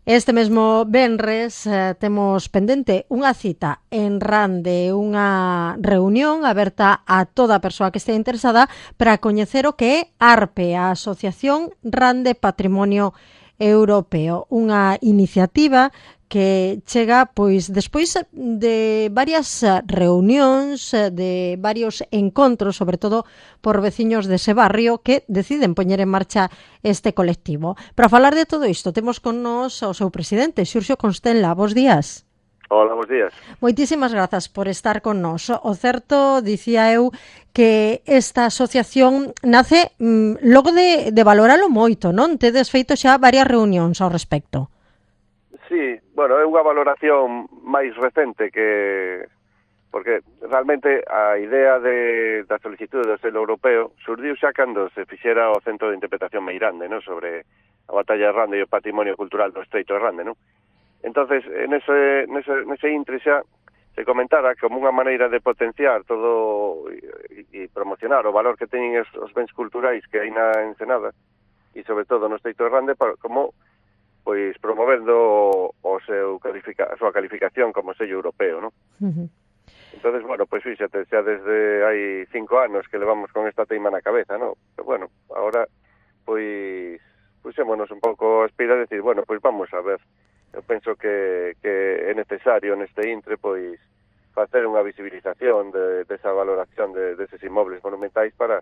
Este mesmo venres temos pendente unha cita en Rande, unha reunión aberta a toda a persoa que estea interesada para coñecer o que é ARPE, a Asociación Rande Patrimonio Europeo, unha iniciativa que chega pois despois de varias reunións, de varios encontros, sobre todo por veciños dese barrio que deciden poñer en marcha este colectivo. Para falar de todo isto, temos con nos o seu presidente, Xurxo Constenla. Bos días. Hola, bos días. Moitísimas grazas por estar con nos. O certo, dicía eu, que esta asociación nace logo de valoralo moito, non? Tedes feito xa varias reunións ao respecto. Sí, bueno, é unha valoración máis recente porque realmente a idea da solicitude do selo europeo surdiu xa cando se fixera o Centro de Interpretación Meirande, ¿no? Sobre a batalla de Rande e o patrimonio cultural do Estreito de Rande, ¿no? Entonces, nese intre xa se comentara como unha maneira de potenciar todo e promocionar o valor que teñen os bens culturais que hai na Ensenada e sobre todo no Estreito de Rande como pois promovendo a súa calificación como sello europeo, ¿no? Entonces, bueno, pois fíxate, xa desde hai 5 anos que levamos con esta teima na cabeza, ¿no? Pero bueno, ahora pois puxémonos un pouco a espira de decir, bueno, pois vamos a ver. Eu penso que é necesario neste intre pois facer unha visibilización desa valoración deses inmobles monumentais para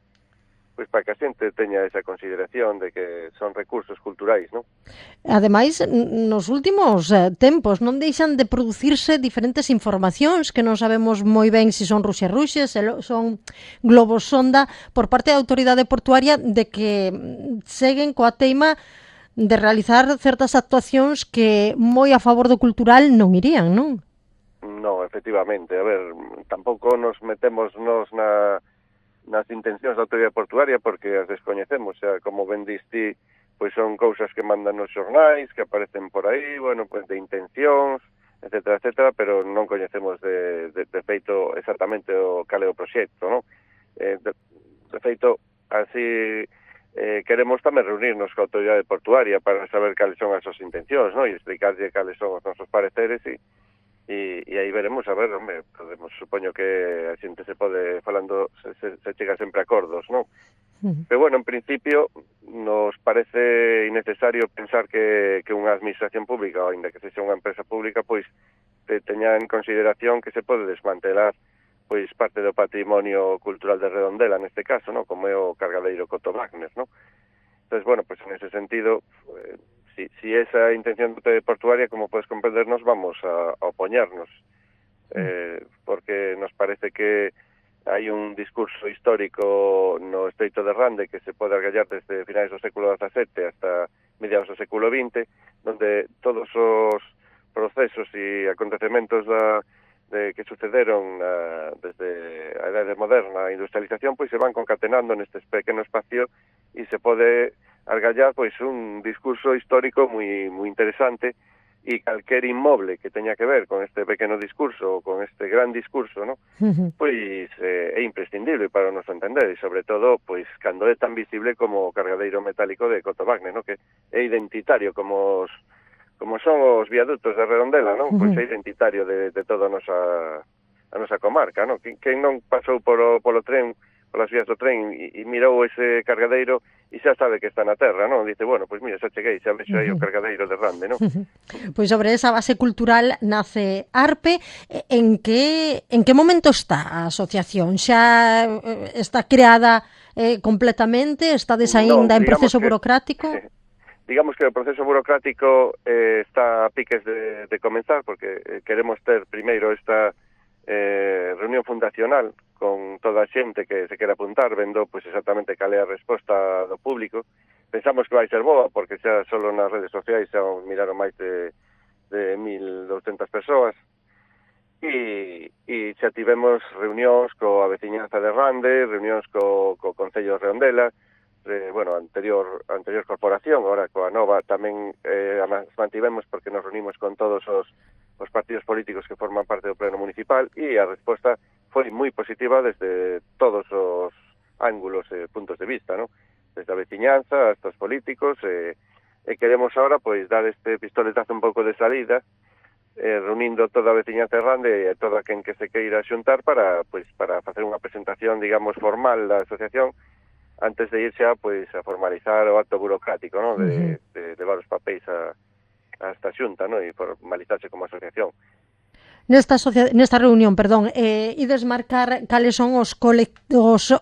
que a xente teña esa consideración de que son recursos culturais, non? Ademais, nos últimos tempos non deixan de producirse diferentes informacións que non sabemos moi ben se son ruxes, se son globos sonda por parte da autoridade portuaria de que seguen coa teima de realizar certas actuacións que moi a favor do cultural non irían, non? Non, efectivamente. A ver, tampouco nos metemos nas intencións da autoridade portuaria porque as descoñecemos, xa, como ben diste, pois son cousas que mandan nos xornais, que aparecen por aí, bueno, pois de intencións, etcétera, pero non coñecemos de feito exactamente cal é o proxecto, non? De feito, así queremos tamén reunirnos coa autoridade portuaria para saber cales son as súas intencións, non? E explicarlle cales son os nosos pareceres e aí veremos, a ver, hombre, supoño que a xente se pode falando, se chega sempre a acordos, non? Pero bueno, en principio nos parece innecesario pensar que unha administración pública, ou ainda que sexa unha empresa pública, pois teña en consideración que se pode desmantelar pois parte do patrimonio cultural de Redondela, neste caso, non? Como é o cargadeiro Coto Wagner, non? Entonces, bueno, pues en ese sentido, si esa intención portuaria, como podes comprendernos, vamos a opoñernos, porque nos parece que hai un discurso histórico no Estreito de Rande que se pode argallar desde finais do século XVII hasta mediados do século XX, donde todos os procesos e acontecementos que sucederon desde a Idade Moderna, a industrialización, pois se van concatenando neste pequeno espacio e se pode argallar pois un discurso histórico moi interesante e calquer inmoble que teña que ver con este pequeno discurso, con este gran discurso, ¿no? Pois é imprescindible para o noso entender e sobre todo pois cando é tan visible como o cargadeiro metálico de Coto Wagner, ¿no? Que é identitario como son os viadutos de Redondela, non? Pois é identitario de toda a nosa comarca, non? Quen non pasou polo tren, polas vías do tren e mirou ese cargadeiro e xa sabe que está na terra, non? Dice, bueno, pois mira, xa cheguei, xa vexo aí o cargadeiro de Rande, non? Pois sobre esa base cultural nace ARPE. En que momento está a asociación? Xa está creada completamente? Estades aínda en proceso burocrático? Digamos que o proceso burocrático está a piques de comenzar, porque queremos ter primeiro esta reunión fundacional con toda a xente que se quere apuntar, vendo pois exactamente cal é a resposta do público. Pensamos que vai ser boa, porque xa solo nas redes sociais xa miraron máis de 1.200 persoas, e xa tivemos reunións coa veciñanza de Rande, reunións co Concello de Redondela, bueno, anterior corporación, agora coa nova tamén mantivemos porque nos reunimos con todos os partidos políticos que forman parte do pleno municipal e a resposta foi moi positiva desde todos os ángulos e puntos de vista, ¿no? Desde a veciñanza hasta os políticos, E queremos ahora, pois, dar este pistoletazo un pouco de salida, reunindo toda a veciñanza de Rande e toda quen que se queira xuntar para facer unha presentación, digamos, formal da asociación antes de ir xa, pois, a formalizar o acto burocrático, ¿no? De levar os papéis a esta xunta, ¿no? E formalizarse como asociación. Nesta reunión, perdón, ides marcar cales son os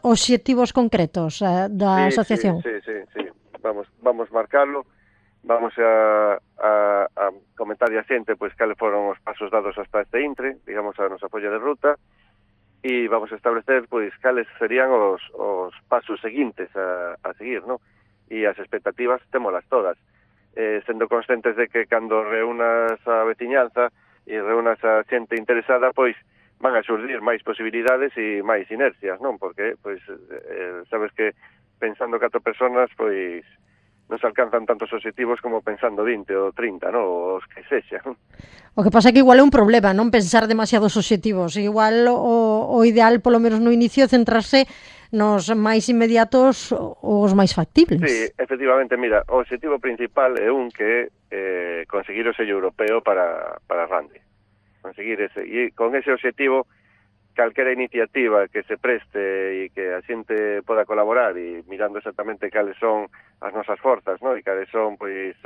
obxectivos concretos da asociación? Sí. Vamos marcarlo, vamos a comentar a xente pois cales foron os pasos dados hasta este intre, digamos, a nosa folla de ruta, e vamos a establecer pois cales serían os pasos seguintes a seguir, ¿no? E as expectativas témolas todas, sendo conscientes de que cando reúnas a veciñanza e reúnas a xente interesada, pois van a surgir máis posibilidades e máis inercias, non? Porque, pois, sabes que pensando 4 personas, pois, non se alcanzan tantos obxectivos como pensando 20 ou 30, non? Os que sexan. O que pasa é que igual é un problema, non pensar demasiados obxectivos. Igual o ideal, polo menos no inicio, centrarse nos máis inmediatos ou os máis factibles. Sí, efectivamente, mira, o obxectivo principal é un que conseguir o sello europeo para Rande. Conseguir ese. E con ese obxectivo, calquera iniciativa que se preste e que a xente poda colaborar e mirando exactamente cales son as nosas forzas, ¿no? E cales son, pois,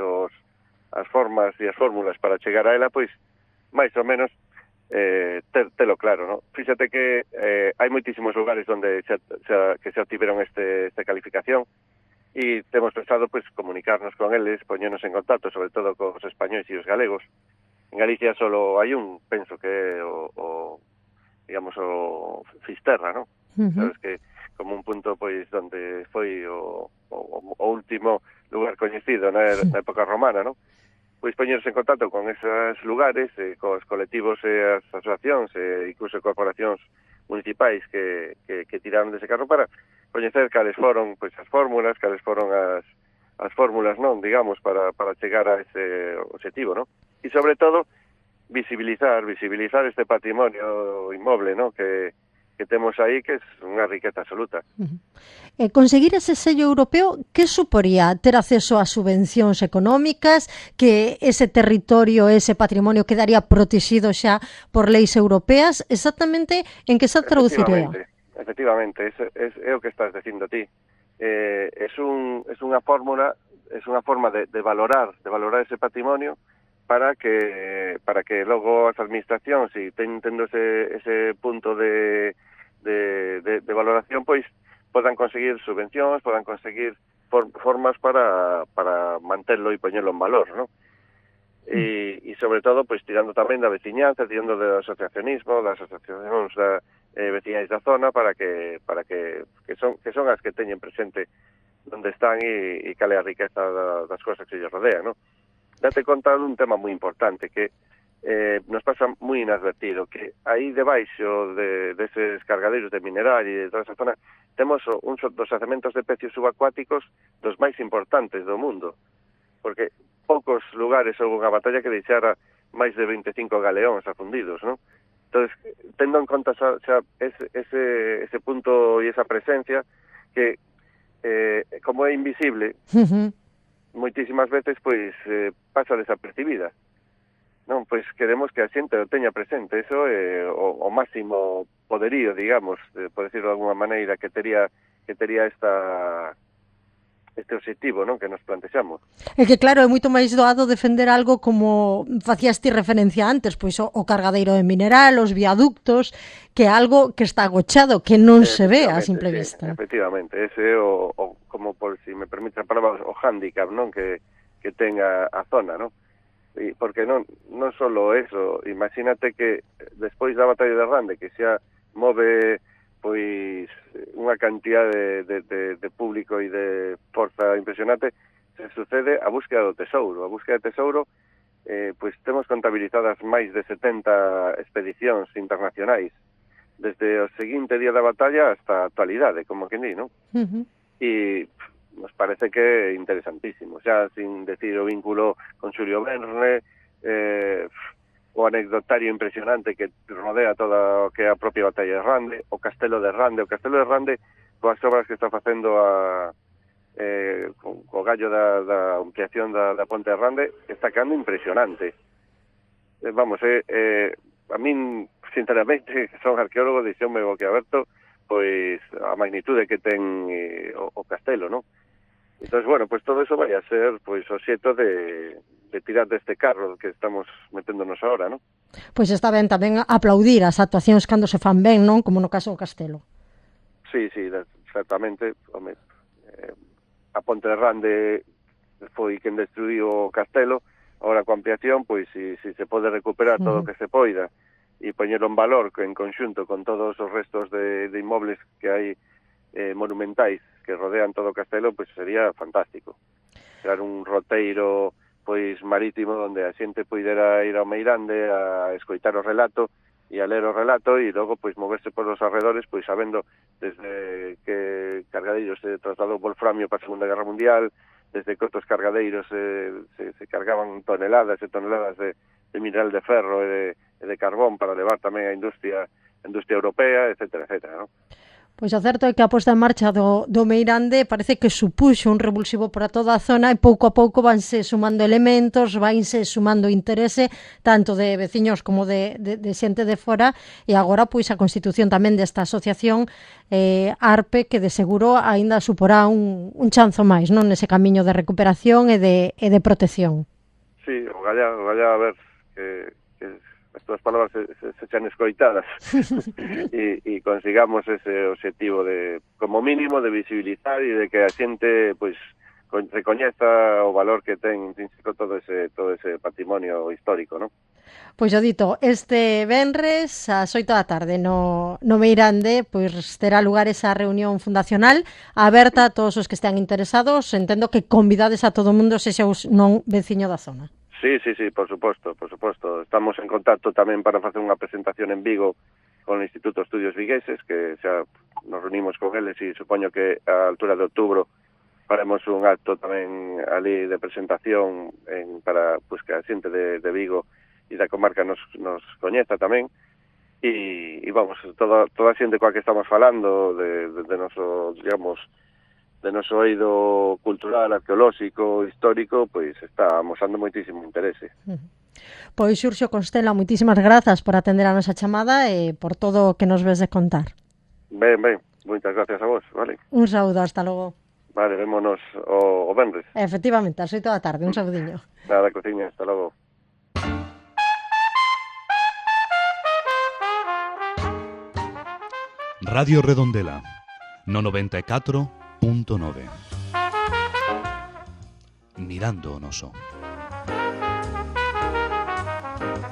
as formas e as fórmulas para chegar a ela, pois, máis ou menos, telo claro, ¿no? Fíxate que hai moitísimos lugares onde que se obtiveron esta calificación e temos pensado, pois, comunicarnos con eles, poñernos en contacto, sobre todo cos españois e os galegos. En Galicia solo hai un, penso que é digamos, o Fisterra, ¿no? Sabes que como un punto, pois, donde foi o último lugar coñecido na época romana, ¿no? Pois poñerse en contacto con esos lugares, cos colectivos e as asociacións e incluso corporacións municipais que tiraron dese carro para coñecer cales foron, pois, as fórmulas, cales foron as fórmulas, non, digamos, para chegar a ese objetivo, ¿no? E sobre todo visibilizar este patrimonio inmoble, ¿no? que temos aí, que é unha riqueza absoluta. Conseguir ese sello europeo, que suporía ter acceso a subvencións económicas, que ese territorio, ese patrimonio quedaría protegido xa por leis europeas? Exactamente en que se traduciría? Efectivamente, é o que estás dicindo ti. É unha forma de valorar ese patrimonio para que logo as administracións, se tendo ese punto de valoración, pois podan conseguir subvencións, podan conseguir formas para manterlo e poñerlo en valor, ¿no? E sobre todo, pois, tirando tamén da veciñanza, tirando do asociacionismo, das asociacións veciñais da zona, para que son as que teñen presente onde están e cale a riqueza das cosas que lles rodean, ¿no? Date conta dun tema moi importante que nos pasa moi inadvertido, que aí debaixo deses cargadeiros de mineral e de toda esa zona temos uns dos yacementos de peces subacuáticos dos máis importantes do mundo, porque poucos lugares houve unha batalla que deixara máis de 25 galeóns afundidos, ¿no? Entonces, tendo en conta xa ese punto e esa presencia que, como é invisible, moitísimas veces, pois, pasa desapercibida. Non, pois queremos que a xente o teña presente. Eso é o máximo poderío, digamos, por decirlo de alguna maneira, que tería este obxectivo, non, que nos plantexamos. É que claro, é moito máis doado defender algo como facías ti referencia antes, pois o cargadeiro de mineral, os viaductos, que algo que está agochado, que non se ve a simple vista. Efectivamente, ese é como, por si me permite a palabra, o hándicap, non, que ten a zona, non? E porque non solo eso, imagínate que despois da batalla de Rande, que xa move pois unha cantidad de público e de forza impresionante, se sucede a búsqueda do tesouro. A búsqueda de tesouro, pois temos contabilizadas máis de 70 expedicións internacionais, desde o seguinte día da batalla hasta a actualidade, como que ni, non? E nos parece que é interesantísimo, xa sin decir o vínculo con Xulio Verne, o anecdotario impresionante que rodea toda o que é a propia batalla de Rande, o Castelo de Rande, coas obras que está facendo co gallo da ampliación da Ponte de Rande, está quedando impresionante. Vamos, a min, sinceramente, que son arqueólogo, dixonme o que aberto, pois a magnitude que ten o castelo, non? Entón, bueno, pois todo eso vai a ser pois o xeito de tirar deste carro que estamos meténdonos ahora, non? Pois está ben tamén aplaudir as actuacións cando se fan ben, non? Como no caso do castelo. Sí, exactamente. Home, a Ponte de Rande foi quen destruiu o castelo, ahora coa ampliación, pois si se pode recuperar todo o que se poida e poñelo en valor en conxunto con todos os restos de inmobles que hai monumentais que rodean todo o castelo, pois sería fantástico. Crear un roteiro pois marítimo onde a xente poidera ir ao Meirande a escoitar o relato e a ler o relato e logo pois moverse polos arredores pois sabendo desde que cargadeiros se trasladou wolframio para a Segunda Guerra Mundial, desde que outros cargadeiros se cargaban toneladas e toneladas de mineral de ferro e de carbón para levar tamén a industria europea, etcétera, non? Pois o certo é que a posta en marcha do Meirande parece que supuxo un revulsivo para toda a zona e pouco a pouco vanse sumando elementos, vanse sumando interese tanto de veciños como de xente de fora e agora pois a constitución tamén desta asociación ARPE que de seguro aínda suporá un chanzo máis, non, nese camiño de recuperación e de protección. Sí, o galla a ver que as túas palabras se chan escoitadas e consigamos ese objetivo de, como mínimo, de visibilizar e de que a xente pois recoñeza o valor que ten intrínseco todo ese patrimonio histórico, non? Pois o dito, este venres ás 8 da tarde no Meirande pois terá lugar esa reunión fundacional aberta a todos os que estean interesados. Entendo que convidades a todo o mundo se xa non veciño da zona. Sí, por suposto. Estamos en contacto tamén para facer unha presentación en Vigo con o Instituto de Estudios Vigueses, que xa nos reunimos con eles e supoño que a altura de outubro faremos un acto tamén ali de presentación para pues, que a xente de Vigo e da comarca nos coñeza tamén e vamos, toda a xente coa que estamos falando de noso, digamos, de noso eido cultural, arqueolóxico, histórico, pois está mosando moitísimo interese. Pois Xurxo Constela, moitísimas grazas por atender a nosa chamada e por todo o que nos ves de contar. Ben, moitas gracias a vos, vale? Un saúdo, hasta logo. Vale, vémonos o venres. Efectivamente, ás 8 da tarde, un saudiño. Nada, cociña, hasta logo. Radio Redondela, no 94.9. Mirando o noso.